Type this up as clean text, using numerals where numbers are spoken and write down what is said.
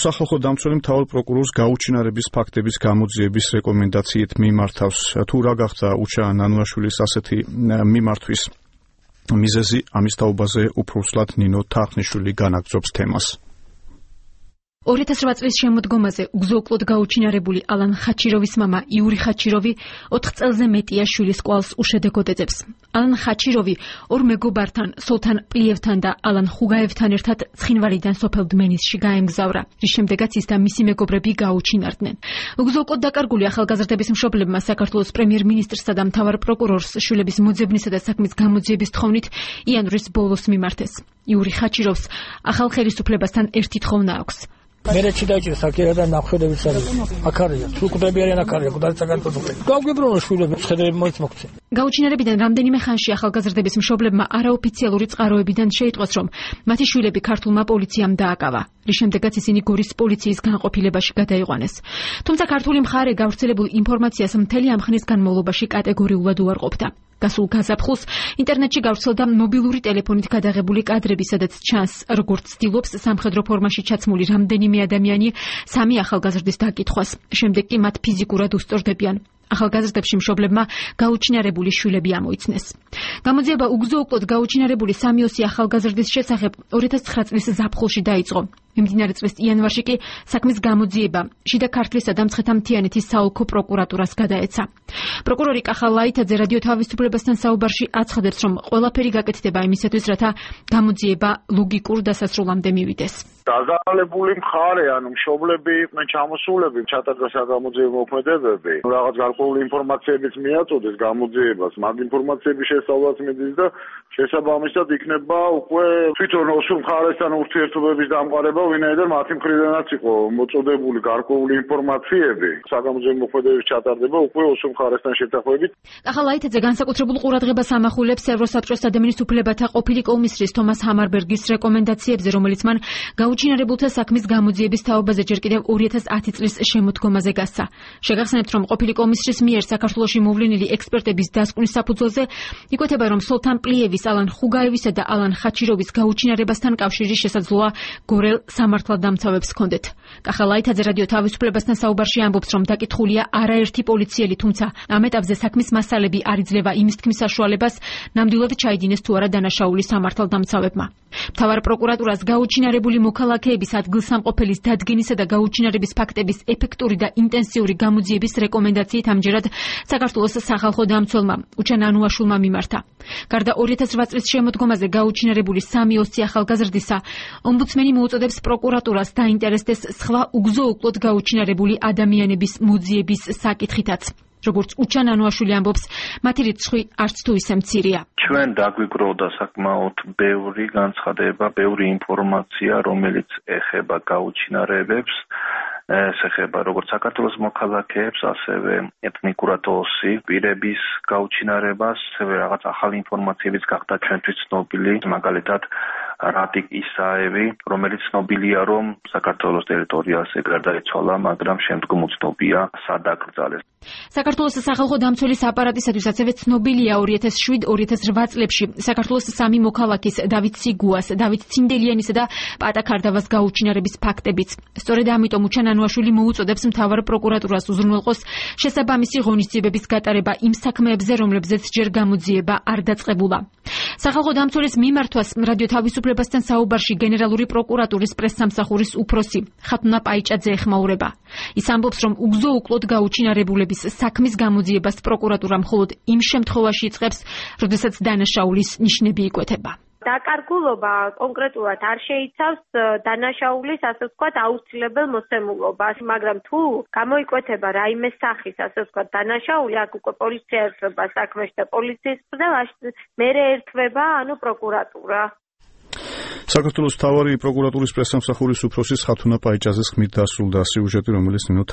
სახალხო დამცველი მთავარ პროკურორს გაუჩინარების ფაქტების გამოძიების რეკომენდაციით მიმართავს. თუ რა გახდა უჩა ნანუაშვილის ასეთი მიმართვის მიზეზი, ამის თაობაზე უფროსლად ნინო თახნიშვილი განაგრძობს თემას. 2008 წლის შემოდგომაზე უგზო-უკლოდ გაუჩინარებული ალან ხაჩიროვის მამა იური ხაჩიროვი 4 წელზე მეტია შვილის კვალს უშედეგოდ ეძებს. ალან ხაჩიროვი ორ მეგობართან, სოლთან პლიევთან და ალან ხუგაევთან ერთად ცხინვალიდან სოფელ დმენისში გაემგზავრა, რის შემდეგაც ის და მისი მეგობრები გაუჩინარდნენ. უგზო-უკლოდ დაკარგული ახალგაზრდების მშობლებმა საქართველოს პრემიერ-მინისტრსა და მთავარ პროკურორს შვილების მოძებნისა და საქმის გამოძიების თხოვნით იანვრის ბოლოს მიმართეს. იური ხაჩიროვს ახალ ხელისუფლებასთან ერთი თხოვნა აქვს. მერეჩი დაიჭირა საკერა და ნახევდებით არის. აქ არის, თუ კვდები არიან აქ არის, კუდაცა განტოწოყე. გავგიბრუნო შვილები, შედები მოიწმოქცე. გაუჩინარებიდან რამდენიმე ხანში ახალგაზრდების მშობლებმა არაოფიციალური წყაროებიდან შეიტყვეს, რომ მათი შვილები ქართულმა პოლიციამ დააკავა. რის შემდეგაც ისინი გორის პოლიციის განყოფილებაში გადაიყვანეს. თუმცა ქართული მხარე გავრცელებულ ინფორმაციას მთელი ამ ხნის განმავლობაში კატეგორიულად უარყოფდა. გასულ გაზაფხულს ინტერნეტში გავრცელდა მობილური ტელეფონით გადაღებული კადრები, სადაც ჩანს, როგორც ცდილობს სამხედრო ფორმაში ჩაცმული რამდენიმე ადამიანი სამი ახალგაზრდის დაკითხვას. შემდეგ კი მათ ფიზიკურად უსწორდებიან. ახალგაზრდებში მშობლებმა გაუჩინარებული შვილები ამოიცნეს. გამოძიება უგზო-უკლოდ გაუჩინარებული 3-4 ახალგაზრდის შესახებ 2009 წლის ზაფხულში დაიწყო. მიმდინარე წლის იანვარში კი საქმის გამოძიება შიდა ქართლისა და მცხეთა-მთიანეთის საოლქო პროკურატურას გადაეცა. პროკურორი კახა ლაითაძე რადიო თავისუფლებასთან საუბარში აცხადებს, რომ ყველაფერი გაკეთდება იმისათვის, რათა გამოძიება ლოგიკურ დასასრულამდე მივიდეს. დაზარალებული მხარე, ანუ მშობლები იყვნენ ჩამოსულები, ჩატარდა საგამოძიებო მოქმედებები, რაღაც გარკვეული ინფორმაციებიც მიაწოდეს გამოძიებას, მაგ ინფორმაციების შესწავლაც მიდის და შესაბამისად იქნება უკვე თვითონ ოსურ მხარესთან ურთიერთობების დამყარება, ვინაიდან მათი მხრიდანაც იყო მოწოდებული გარკვეული ინფორმაციები, საგამოძიებო მოქმედებების ჩატარდება უკვე ოსურ მხარესთან შეთანხმებით. კახა ლაითაძე განსაკუთრებულ ყურადღებას ამახვილებს ევროსაბჭოს ადამიანის უფლებათა ყოფილი კომისრის თომას ჰამარბერგის რეკომენდაციებზე, რომელიც მან გაუჩინარებულთა საქმის გამოძიების თაობაზე ჯერ კიდევ 2010 წლის შემოდგომაზე გასცა. შეგახსენებთ, რომ ყოფილი კომისრის მიერ საქართველოში მოვლენილი ექსპერტების დასკვნის საფუძველზე იკვეთება, რომ სოლთან პლიევის, ალან ხუგაევისა და ალან ხაჩიროვის გაუჩინარებასთან კავშირი შესაძლოა გორელ სამართალდამცავებს ჰქონდეთ. კახა ლაითაძე რადიო თავისუფლებასთან საუბარში ამბობს, რომ დაკითხულია არაერთი პოლიციელი, თუმცა ამ ეტაპზე საქმის მასალები არ იძლევა იმის თქმის საშუალებას, ნამდვილად ჩაიდინეს თუ არა დანაშაული სამართალდამცავებმა. მთავარ პროკურატურას გაუჩინარებული მოქალაქეების ადგილსამყოფელის დადგენისა და გაუჩინარების ფაქტების ეფექტური და ინტენსიური გამოძიების რეკომენდაციით ამჯერად საქართველოს სახალხო დამცველმა უჩა ნანუაშვილმა მიმართა. გარდა 2008 წლის შემოდგომაზე გაუჩინარებული 3-4 ახალგაზრდისა, ომბუდსმენი მოუწოდებს პროკურატურას დაინტერესდეს სხვა უგზო-უკლოდ გაუჩინარებული ადამიანების მოძიების საკითხითაც. როგორც უჩა ნანუაშვილი ამბობს, მათი რიცხვი არც თუ ისე მცირეა. ჩვენ დაგვიგროვდა საკმაოდ ბევრი განცხადება, ბევრი ინფორმაცია, რომელიც ეხება გაუჩინარებებს, ეს ეხება როგორც საქართველოს მოქალაქეებს, ასევე ეთნიკურად ოსი პირების გაუჩინარებას, ასევე რაღაც ახალი ინფორმაციებიც გახდა ჩვენთვის ცნობილი, მაგალითად რატიკ ისაევი, რომელიც ცნობილია, რომ საქართველოს ტერიტორიაზე გარდაიცვალა, მაგრამ შემდგომ უცნობია სად აკრძალეს. საქართველოს სახალხო დამცველის აპარატისათვის ასევე ცნობილია 2007-2008 წლებში საქართველოს 3 მოქალაქის დავით სიგუას, დავით ცინდელიანისა და პატა ქარდავას გაუჩინარების ფაქტებიც. სწორედ ამიტომ უჩა ნანუაშვილი მოუწოდებს მთავარ პროკურატურას უზრუნველყოს შესაბამისი ღონისძიებების გატარება იმ საქმეებზე, რომლებზეც ჯერ გამოძიება არ დაწყებულა. სახალხო დამცველის მიმართვას რადიო თავისუფლებასთან საუბარში გენერალური პროკურატურის პრესსამსახურის უფროსი ხათუნა პაიჭაძე ეხმაურება. ის ამბობს, რომ უგზო-უკლოდ გაუჩინარებულების საქმის გამოძიებას პროკურატურა მხოლოდ იმ შემთხვევაში იწყებს, როდესაც დანაშაულის ნიშნები იკვეთება. დაკარგულობა კონკრეტულად არ შეიცავს დანაშაულის, ასე ვთქვათ, აუცილებელ მოსემულობას, მაგრამ თუ გამოიკვეთება რაიმე სახის, ასე ვთქვათ, დანაშაული, აქ უკვე პოლიცია ერთვება საქმეში და პოლიციის მერე ერთვება, პროკურატურა. საქართველოს მთავარი პროკურატურის პრესსამსახურის უფროსის ხათუნა პაიჭაძეს ხმით დასრულდა სიუჟეტი, რომელიც ნინო